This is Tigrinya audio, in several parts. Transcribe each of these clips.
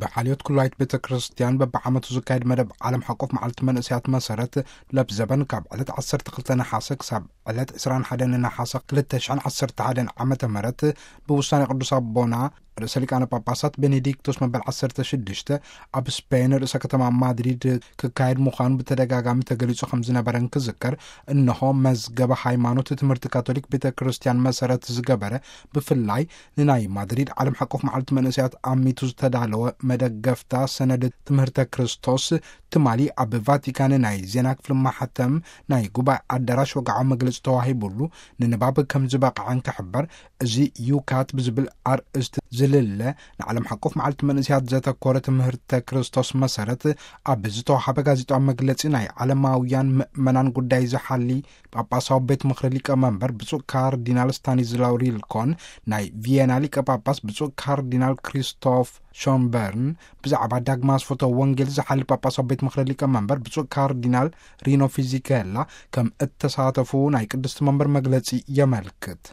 ብሓልዮት ኩላይት ቤተ ክርስቲያን በብዓመቱ ዝካየድ መደብ ዓለም ሓቆፍ መዓልቲ መንእሰያት መሰረት፣ ለብ ዘበን ካብ ዕለት ዓሰርተ ክልተ ነሓሰ ክሳብ ዕለት ዕስራን ሓደን ነሓሰ ክልተ ሽሕን ዓሰርተ ሓደን ዓመተ ምህረት ብውሳኔ ቅዱስ ኣቦና ርእሰ ሊቃነ ጳጳሳት ቤኔዲክቶስ መበል ዓሰርተ ሽዱሽተ ኣብ ስፔን ርእሰ ከተማ ማድሪድ ክካየድ ምዃኑ ብተደጋጋሚ ተገሊጹ ከም ዝነበረ እንክዝከር፣ እንሆ መዝገበ ሃይማኖት ትምህርቲ ካቶሊክ ቤተ ክርስቲያን መሰረት ዝገበረ፣ ብፍላይ ንናይ ማድሪድ ዓለም ሓቆፍ መዓልቲ መንእሰያት ኣሚቱ ዝተዳለወ መደገፍታ ሰነድ ትምህርተ ክርስቶስ፣ ትማሊ ኣብ ቫቲካን ናይ ዜና ክፍሊ ማሕተም ናይ ጉባኤ ኣዳራሽ ወግዓዊ መግለጺ ተዋሂቡሉ፣ ንንባብ ከም ዝበቕዐ እንክሕበር፣ እዚ ዩካት ብዝብል ኣርእስቲ ዝልለ ንዓለም ሓቆፍ መዓልቲ መንእሰያት ዘተኮረ ትምህርተ ክርስቶስ መሰረት ኣብ ዝተዋሃበ ጋዜጣዊ መግለጺ፣ ናይ ዓለማውያን ምእመናን ጉዳይ ዝሓሊ ጳጳሳዊ ቤት ምኽሪ ሊቀ መንበር ብፁዕ ካርዲናል ስታኒዝላው ሪልኮን፣ ናይ ቪየና ሊቀ ጳጳስ ብፁዕ ካርዲናል ክሪስቶፍ ሾንበርን፣ ብዛዕባ ዳግማ ኣስፍቶ ወንጌል ዝሓሊ ጳጳሳዊ ቤት ምኽሪ ሊቀ መንበር ብፁዕ ካርዲናል ሪኖ ፊዚኬላ ከም እተሳተፉ ናይ ቅድስቲ መንበር መግለጺ የመልክት።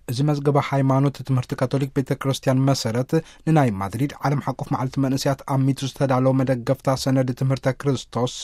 እዚ መዝገበ ሃይማኖት ትምህርቲ ካቶሊክ ቤተ ክርስቲያን መሰረት፣ ንናይ ማድሪድ ዓለም ሓቆፍ መዓልቲ መንእሰያት ኣሚቱ ዝተዳለወ መደገፍታ ሰነድ ትምህርተ ክርስቶስ፣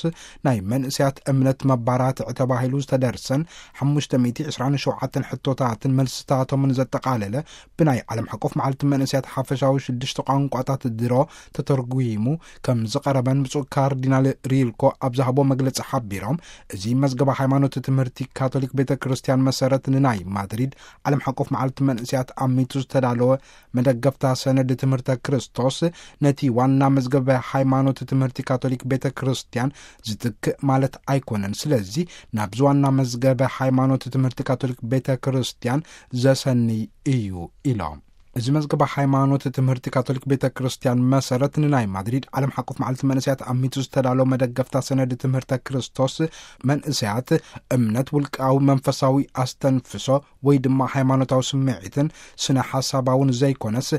ናይ መንእሰያት እምነት መባራትዒ ተባሂሉ ዝተደርሰን ሓሙሽተ ሚእቲ ዕስራን ሸውዓተን ሕቶታትን መልስታቶምን ዘጠቓለለ፣ ብናይ ዓለም ሓቆፍ መዓልቲ መንእሰያት ሓፈሻዊ ሽዱሽተ ቋንቋታት ድሮ ተተርጉሙ ከም ዝቐረበን ብፁዕ ካርዲናል ሪልኮ ኣብ ዝሃቦ መግለጺ ሓቢሮም፣ እዚ መዝገበ ሃይማኖት ትምህርቲ ካቶሊክ ቤተ ክርስቲያን መሰረት፣ ንናይ ማድሪድ ዓለም ሓቆፍ መዓልቲ መንእሰያት ኣሚቱ ዝተዳለወ መደገፍታ ሰነድ ትምህርተ ክርስቶስ፣ ነቲ ዋና መዝገበ ሃይማኖት ትምህርቲ ካቶሊክ ቤተ ክርስቲያን ዝትክእ ማለት ኣይኮነን። ስለዚ ናብዚ ዋና መዝገበ ሃይማኖት ትምህርቲ ካቶሊክ ቤተ ክርስቲያን ዘሰንይ እዩ ኢሎም። እዚ መዝገበ ሃይማኖት ትምህርቲ ካቶሊክ ቤተ ክርስቲያን መሰረት፣ ንናይ ማድሪድ ዓለም ሓቆፍ መዓልቲ መንእሰያት ኣሚቱ ዝተዳለወ መደገፍታ ሰነድ ትምህርተ ክርስቶስ፣ መንእሰያት እምነት ውልቃዊ መንፈሳዊ ኣስተንፍሶ ወይ ድማ ሃይማኖታዊ ስምዒትን ስነ ሓሳባውን ዘይኮነስ፣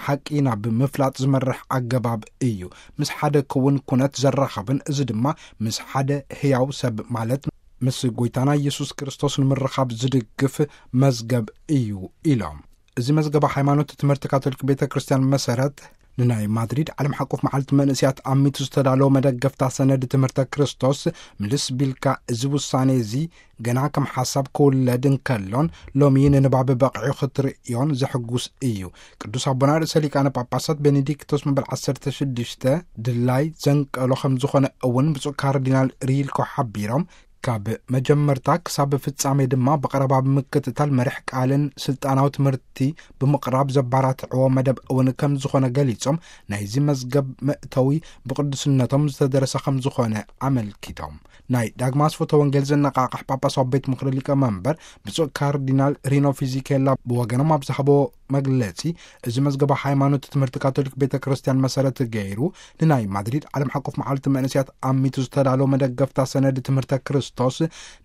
ሓቂ ናብ ምፍላጥ ዝመርሕ ኣገባብ እዩ። ምስ ሓደ ክውን ኩነት ዘራኸብን፣ እዚ ድማ ምስ ሓደ ህያው ሰብ ማለት ምስ ጎይታና ኢየሱስ ክርስቶስ ንምርኻብ ዝድግፍ መዝገብ እዩ ኢሎም። እዚ መዝገበ ሃይማኖት ትምህርቲ ካቶሊክ ቤተ ክርስቲያን መሰረት፣ ንናይ ማድሪድ ዓለም ሓቆፍ መዓልቲ መንእሰያት ኣሚቱ ዝተዳለወ መደገፍታ ሰነድ ትምህርተ ክርስቶስ፣ ምልስ ቢልካ፣ እዚ ውሳኔ እዚ ገና ከም ሓሳብ ክውለድ እንከሎን፣ ሎሚ ንንባብ በቒዑ ክትርእዮን ዘሕጉስ እዩ። ቅዱስ ኣቦና ርእሰ ሊቃነ ጳጳሳት ቤኔዲክቶስ መበል ዓሰርተ ሽዱሽተ ድላይ ዘንቀሎ ከም ዝኾነ እውን ብፁዕ ካርዲናል ሪልኮ ሓቢሮም፣ ካብ መጀመርታ ክሳብ ፍጻሜ ድማ ብቐረባ ብምክትታል መሪሕ ቃልን ስልጣናዊ ትምህርቲ ብምቕራብ ዘባራትዕዎ መደብ እውን ከም ዝኾነ ገሊጾም፣ ናይዚ መዝገብ መእተዊ ብቅዱስነቶም ዝተደረሰ ከም ዝኾነ ኣመልኪቶም። ናይ ዳግማ ኣስፈቶ ወንጌል ዘነቃቕሕ ጳጳሳዊ ቤት ምኽሪ ሊቀ መንበር ብፁዕ ካርዲናል ሪኖ ፊዚኬላ ብወገኖም ኣብ ዝሃቦ መግለጺ፣ እዚ መዝገበ ሃይማኖት ትምህርቲ ካቶሊክ ቤተ ክርስቲያን መሰረት ገይሩ፣ ንናይ ማድሪድ ዓለም ሓቆፍ መዓልቲ መንእሰያት ኣሚቱ ዝተዳለወ መደገፍታ ሰነድ ትምህርተ ክርስቶስ፣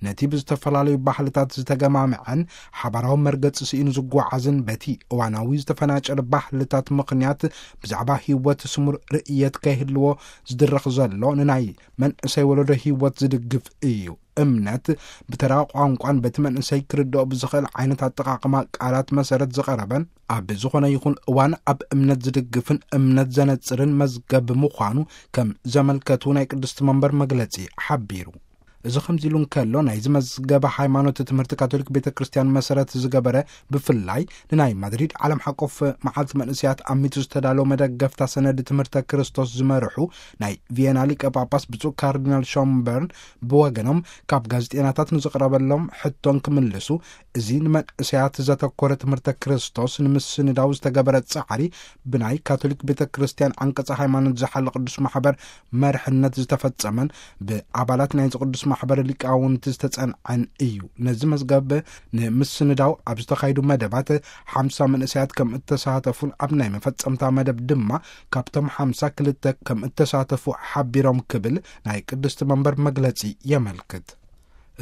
ነቲ ብዝተፈላለዩ ባህልታት ዝተገማምዐን ሓባራዊ መርገጺ ስኢኑ ዝጓዓዝን፣ በቲ እዋናዊ ዝተፈናጨረ ባህልታት ምኽንያት ብዛዕባ ህይወት ስሙር ርእየት ከይህልዎ ዝድረኽ ዘሎ፣ ንናይ መንእሰይ ወለዶ ህይወት ዝድግፍ እዩ። እምነት ብተራ ቋንቋን በቲ መንእሰይ ክርድኦ ብዝኽእል ዓይነት ኣጠቓቕማ ቃላት መሰረት ዝቐረበን፣ ኣብ ዝኾነ ይኹን እዋን ኣብ እምነት ዝድግፍን እምነት ዘነጽርን መዝገብ ምዃኑ ከም ዘመልከቱ ናይ ቅድስቲ መንበር መግለጺ ሓቢሩ። እዚ ከምዚ ኢሉ እንከሎ፣ ናይዚ መዝገበ ሃይማኖት ትምህርቲ ካቶሊክ ቤተ ክርስቲያን መሰረት ዝገበረ፣ ብፍላይ ንናይ ማድሪድ ዓለም ሓቆፍ መዓልቲ መንእሰያት ኣሚቱ ዝተዳለወ መደገፍታ ሰነድ ትምህርተ ክርስቶስ ዝመርሑ ናይ ቪየና ሊቀ ጳጳስ ብፁዕ ካርዲናል ሾምበርን ብወገኖም፣ ካብ ጋዜጠኛታት ንዝቕረበሎም ሕቶን ክምልሱ፣ እዚ ንመንእሰያት ዘተኮረ ትምህርተ ክርስቶስ ንምስንዳው ዝተገበረ ጻዕሪ፣ ብናይ ካቶሊክ ቤተ ክርስቲያን ዓንቀጸ ሃይማኖት ዝሓለ ቅዱስ ማሕበር መርሕነት ዝተፈጸመን ብኣባላት ናይዚ ቅዱስ ማሕበር ሊቃውንቲ ዝተጸንዐን እዩ። ነዚ መዝገብ ንምስንዳው ኣብ ዝተኻየዱ መደባት ሓምሳ መንእሰያት ከም እተሳተፉን፣ ኣብ ናይ መፈጸምታ መደብ ድማ ካብቶም ሓምሳ ክልተ ከም እተሳተፉ ሓቢሮም ክብል ናይ ቅድስቲ መንበር መግለጺ የመልክት።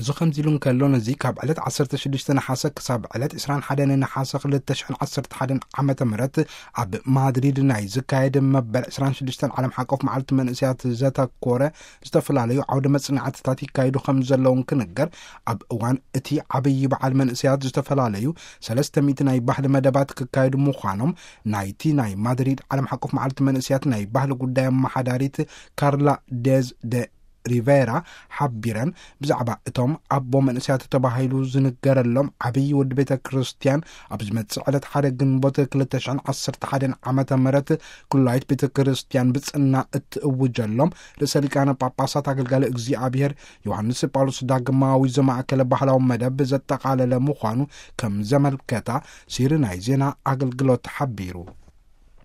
እዚ ከምዚ ኢሉ እንከሎ፣ ነዚ ካብ ዕለት ዓሰርተ ሽዱሽተ ነሓሰ ክሳብ ዕለት ዕስራን ሓደን ነሓሰ ክልተ ሽሕን ዓሰርተ ሓደን ዓመተ ምህረት ኣብ ማድሪድ ናይ ዝካየድ መበል ዕስራን ሽዱሽተን ዓለም ሓቆፍ መዓልቲ መንእሰያት ዘተኮረ ዝተፈላለዩ ዓውደ መጽናዕትታት ይካየዱ ከም ዘለውን ክንገር፣ ኣብ እዋን እቲ ዓብዪ በዓል መንእሰያት ዝተፈላለዩ ሰለስተ ሚእቲ ናይ ባህሊ መደባት ክካየዱ ምዃኖም ናይቲ ናይ ማድሪድ ዓለም ሓቆፍ መዓልቲ መንእሰያት ናይ ባህሊ ጉዳይ ኣመሓዳሪት ካርላ ዴዝ ደ ሪቬራ ሓቢረን፣ ብዛዕባ እቶም ኣቦ መንእሰያት ተባሂሉ ዝንገረሎም ዓብዪ ወዲ ቤተ ክርስቲያን ኣብ ዝመጽእ ዕለት ሓደ ግንቦት ክልተ ሽሕን ዓሰርተ ሓደን ዓመተ ምህረት ኩላይት ቤተ ክርስቲያን ብጽና እትእውጀሎም ርእሰ ሊቃነ ጳጳሳት ኣገልጋሊ እግዚኣብሔር ዮሃንስ ጳውሎስ ዳግማዊ ዘማእከለ ባህላዊ መደብ ዘጠቓለለ ምዃኑ ከም ዘመልከታ ሲሪ ናይ ዜና ኣገልግሎት ሓቢሩ።